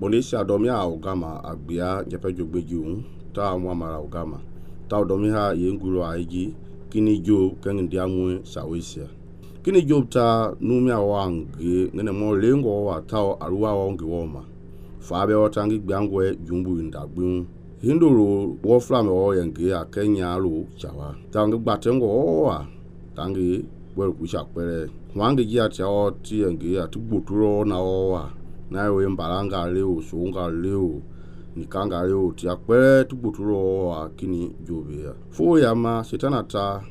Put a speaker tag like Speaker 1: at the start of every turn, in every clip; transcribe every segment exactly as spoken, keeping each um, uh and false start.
Speaker 1: Bonesia domia augama agbia jepe jogbeju ta mwamara augama ta domiha yengulo aiji kini job kengi diamwe sawesia kini job ta numia wangi ngene mo lengo wa ta aruwa wangi woma fabe watangi gbiangwe jumbu ndagbun hindoro wo flame wo yenge a Kenya lo chawa tangi gbatengo wa tangi bwel kusha kwere wangi ji atia o ti yenge ati gboturo na wa na we mbalanga leo songa leo nikanga leo ti akpere tu gboturo wa kini jobe ya fo ya ma setana ta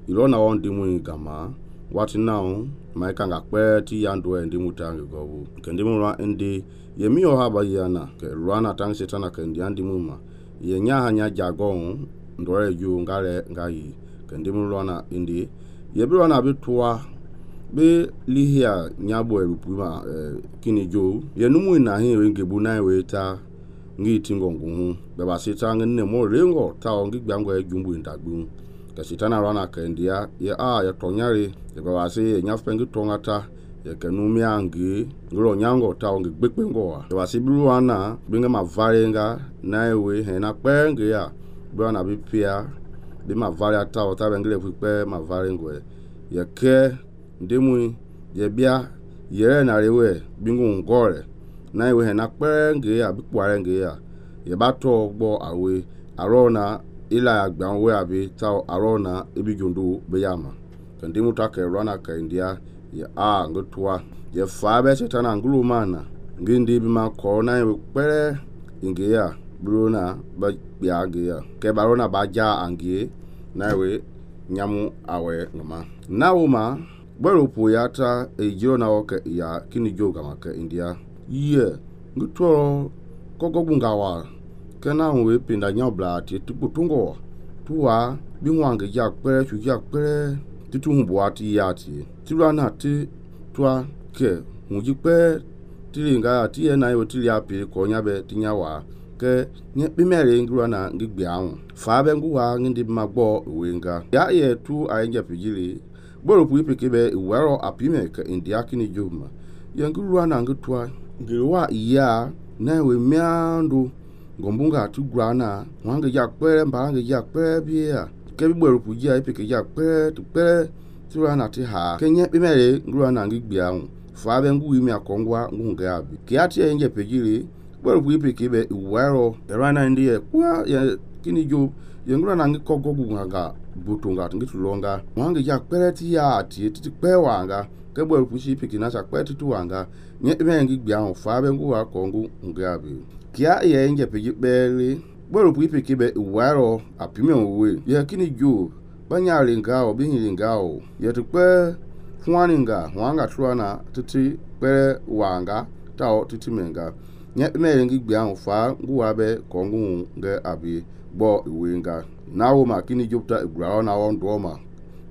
Speaker 1: ilona on dimu gama what now my kanga kpe ti yando ndi mutangi gobu kendi mu ra ndi ye mi o haba yana ke rana tang setana ke ndi andi muma ye nya hanya jagon ndore ju ngale ngai kendi mu rana ndi ye bi rana bi toa be lihia nyabo erupuma eh, kini jo ye numu na hin we ngebu na we ta ngi tingongu hu be ba setanga ne mo rengo ta ngi gbangwa jumbu ndagbu ka sitana rana ka india ye a ya tonyare ye ba wase ye nyafengi tongata ye kanumi angi ngro nyango ta ngi gbekpengo wa ye wase biruana binga mavarenga naiwe hena penge ya bwana bipia bi mavaria ta ta bengile fupe mavarengo ye ke ndemu ye bia ye na rewe bingu ngore naiwe hena penge ya bikwarenge ya ye bato gbo awe arona ila agbanwe abi ta arona ebijondo beyama kandi mutaka rana ka india ya a ngotwa ye fabe setana ngulu mana ngindi bi ma ko na ye pere ingeya bruna ba biage ya ke barona baja angie na we nyamu awe ngama nawuma bwerupu yata ejiro na oke ya kini joga maka india ye ngutoro kokobungawa kana we pinda nyabla ti tuputungo tuwa binwange ja pere chu ja pere titu humbo ati yati tirana ti twa ke muji pe tiringa ati na yo tili api ko nyabe tinyawa ke nye bimere ngurana ngigbe anwu fa be nguwa ngindi magbo wenga ya ye tu ayenja pijili boro pu ipekebe wero apime ke india kini juma ye ngurana ngutwa ngirwa iya na we miandu ngombunga tu grana wange ya kwere mbange ya kwere bia ke bibweru pujia ipeke ya kwere tu kwere turana ti ha kenye bimere grana ngigbia hu fa be ngu imi akongwa ngunga abi ke ati enje pejiri bweru pu ipeke be wero rana ndiye kwa ya kini jo ye grana ngikogo gunga butunga ngitulonga wange ya kwere ti ya ati ti kwe wanga ke bweru pu ipeke na cha kwere tu wanga nye bimere ngigbia hu fa be ngu akongu ngunga abi kia ye nje peji bele boro pu ipe kibe waro apime owe ye kini jo banyale ngao binyi ngao ye tukpe fwaninga wanga truana titi pe wanga tao titi menga nye me ngi gbia nfa nguwabe kongu nge abi bo iwenga nawo ma kini jopta igrao na won doma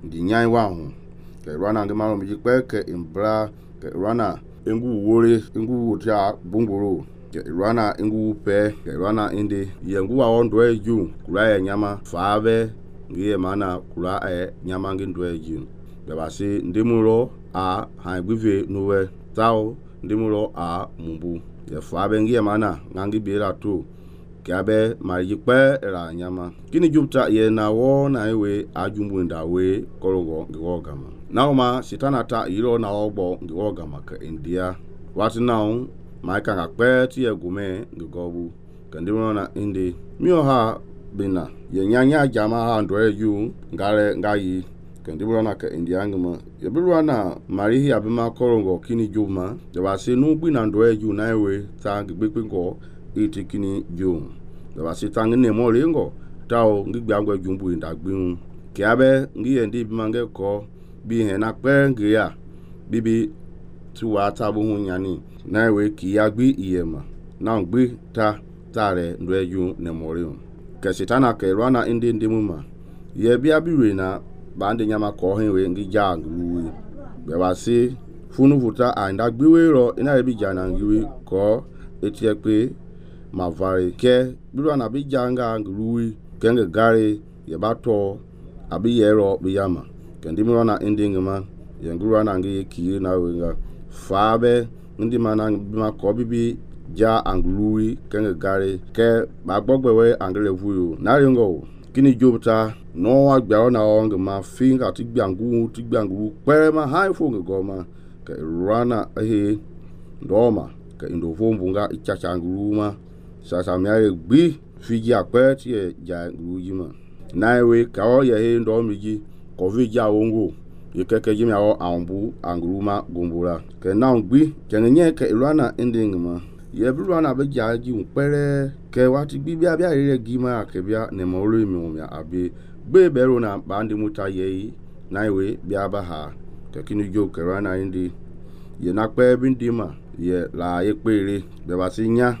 Speaker 1: ndi nyai wa hu ke rana ngi maro mi pe ke imbra ke rana engu wore engu wuta bunguru rana ingu pe rana indi yengu wa ondwe ju kula ya nyama fabe ngiye mana kula e nyama ngindwe ju basi ndimulo a haigbive nuwe tao ndimulo a mumbu ye fabe ngiye mana ngangi bira tu kabe maripe ra nyama kini jupta ye na wo na ewe ajumbu ndawe kologo ngogama nauma sitana ta ilo na ogbo ngogama ka india what now maika ngakpe ti egume ngobu kandimo na indi mio ha bina ye nyanya jama ha ndore yu ngare ngayi kandimo na ka india ngama ye bilwa na marihi abima korongo kini juma de wase nu gbi na ndore yu na ewe ta gbegbe ngo iti kini jum de wase tang ne mo rengo tawo ngigbe angwe jumbu ndagbin kiabe ngiye ndi bimange ko bi he na kpe ngiya bibi tuwa tabu hunyani na we ki ya gbi iyema na gbi ta tare ndweju ne morium ke sitana ke rana indi ndimuma ye bia biwe na bande nyama ko henwe ngi ja ngluwi be wasi funu futa anda gbiwe ro ina bi jana ngiwi ko etie pe mavari ke biwa na bi janga ngluwi kenge gari ye bato abi yero bi yama ke ndimura na indi ngama ye ngluwa na ngi ki na wenga fabe ndi mana bima ko bibi ja anglui kenge gari ke ba gbogbe we angle vuyo na ringo kini job ta no wa gba na on ma finga ti gbangu ti gbangu pere ma hai fo ngo ma ke rana he ndoma ke ndo vombunga ichacha nguruma sasa mi aye gbi fiji akpe ti ja nguji ma na we ka o ye he ndo mi ji ko vi ja wongo ye keke jimi awo ambu anguruma gombula ke na gbi kenye ke rana ending ma ye bi rana be ja ji pere ke wati bi bia bia re gi ma ke bia ne mo ro mi o mi abi gbe be ro na ba ndi muta ye na we bia ba ha ke kini jo ke rana indi ye na pe bi ndi ma ye la ye pere be ba si nya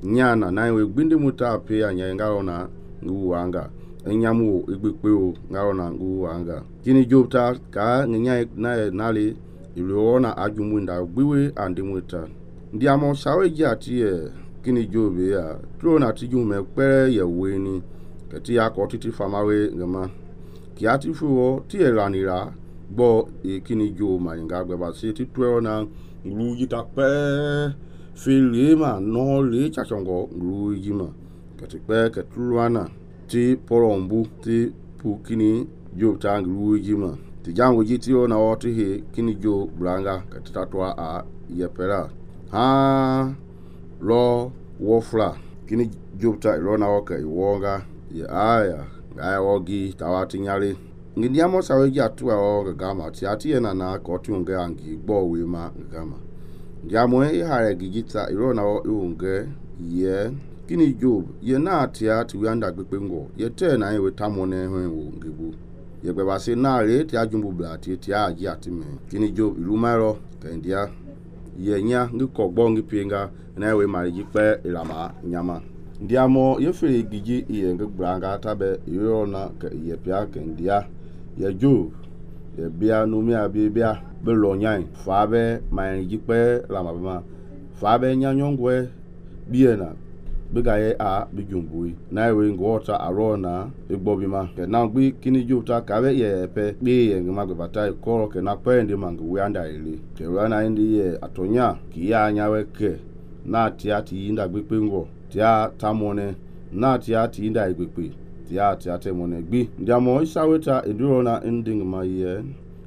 Speaker 1: nya na na we gbi ndi muta pe anya nga na ngu wanga enyamu igbepe o nga na ngu wanga kini jo ta ka nya na na le ilo na ajumu nda gbiwe andi muta ndi amo sawe ji ati e kini jo be ya tro na ti ju me pere ye we ni ke ti ya ko titi famawe ngama ki ati fu ti e ranira gbo e kini jo ma nga gbe ba si ti tro na lu ji ta pe fili ma no le cha chongo lu ji ma ke ti pe ke truana ti porombu ti pu kini jo ta lu ji ma ti jango ji ti o na o ti he kini jo branga ke ti tatwa a ye pera ha lo wofla kini jo ta ro na o ke wonga ye aya aya wogi tawati nyale ngindi amo sawe ji atu o gama ti ati na na ko ti unge angi gbo we ma gama jamu e hare gijita ro na o unge ye kini job ye na ati ati we anda gbepe ngo ye te na ye we tamone ho wo ngebu ye gbe ba se na re ti ajumbu bla ti ti aji ati me kini job ilu maro ke ndia ye nya ngi ko gbo ngi pinga na we mari ji pe ilama nyama ndiamo ye fere giji ye ngi branga tabe yo na ke ye pia ke ndia ye job ye bia no mi abi bia be lo nyan fa be mari ji pe lama ba fa be nya nyongwe bie na biga ye a bijumbui na we ngota arona igbobi ma ke na gbi kini juta ka be ye pe bi ye ngma gbe bata ko ke na pe ndi mangu we anda ile ke rana ndi ye atonya ki ya anya we ke na ti ati nda gbe pe ngo ti a tamone na ti ati nda igbepe ti a ti ate mone gbi ndi amo isaweta eduro na ending ma ye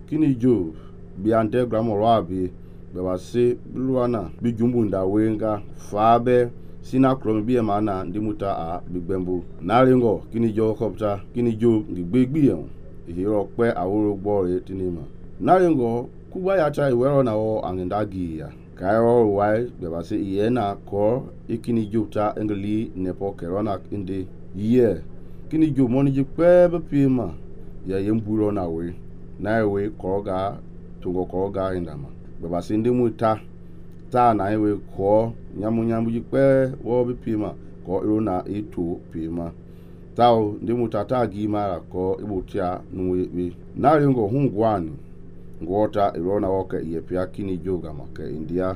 Speaker 1: kini jo bi ande gramo abi be wa se luana bijumbu nda wenga fa be sina krom biye mana ndi muta a bigbembu na ringo kini jo kopta kini jo ngigbegbi yon ihiro pe aworo gbore tinima na ringo kuba ya cha iwero na o angindagi ya kairo wai be ba se iye na ko ikini jo ta engli nepo kerona indi ye kini jo moni ji pe be pima ya yemburo na we na we koga tungo koga indama be ba se ndi muta ta na we ko nyamu nyamu ji pe wo bi pima ko iro na itu pima tao ndi mutata gi mara ko ibutia nuwe bi na ringo hungwani ngota iro na woke ye pia kini joga make india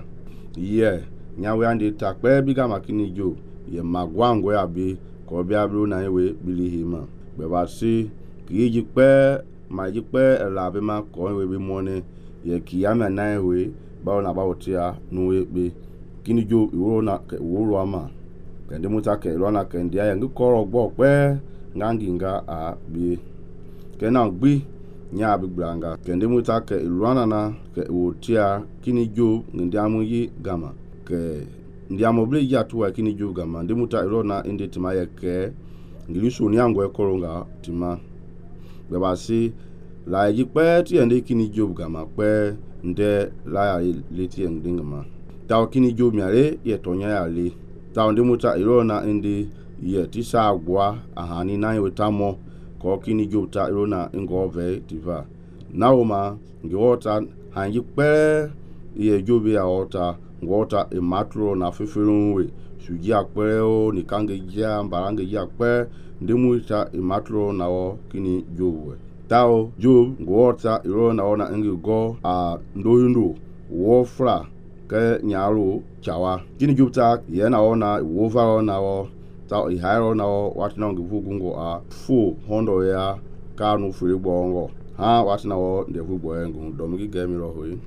Speaker 1: ye nyawe andi ta pe biga makini jo ye magwango ya bi ko bia bru na we bilihima be ba si ki ji pe ma ji pe la be ma ko we bi mone ye kiyama na we ba na ba otia nuwe bi kini jo iwo na ke wo ama ke ndi muta ke ro na ke ndi ya ngi koro gbo pe ngangi nga a bi ke na gbi nya bi gbanga ke ndi muta ke ro na na ke wo tia kini jo ndi amu yi gama ke ndi amu ble ya tuwa kini jo gama ndi muta ro na ndi tima ye ke ngili so ni angwe koro nga tima be ba si la yi pe ti ndi kini jo gama pe nde la ya leti ndingama taw kini jo miare ye tonya ya le taw ndi muta irona ndi ye tisa agwa ahani na ye tamo ko kini jo ta irona ngove diva naoma ngiwota hanji pe ye jo bi aota ngota e matro na fifirunwe suji akpere o ni kange ja mbarange ja pe ndi muta e matro na o kini jo we taw jo ngota irona ona ngi go a ndoyundo wofra ke nyaro chawa kini jupta ye na ona wova na o ta iharo na o watina ngivugungo a fu hondo ya kanu furi bongo ha watina o ndevu boengu domigi gemiro hoyi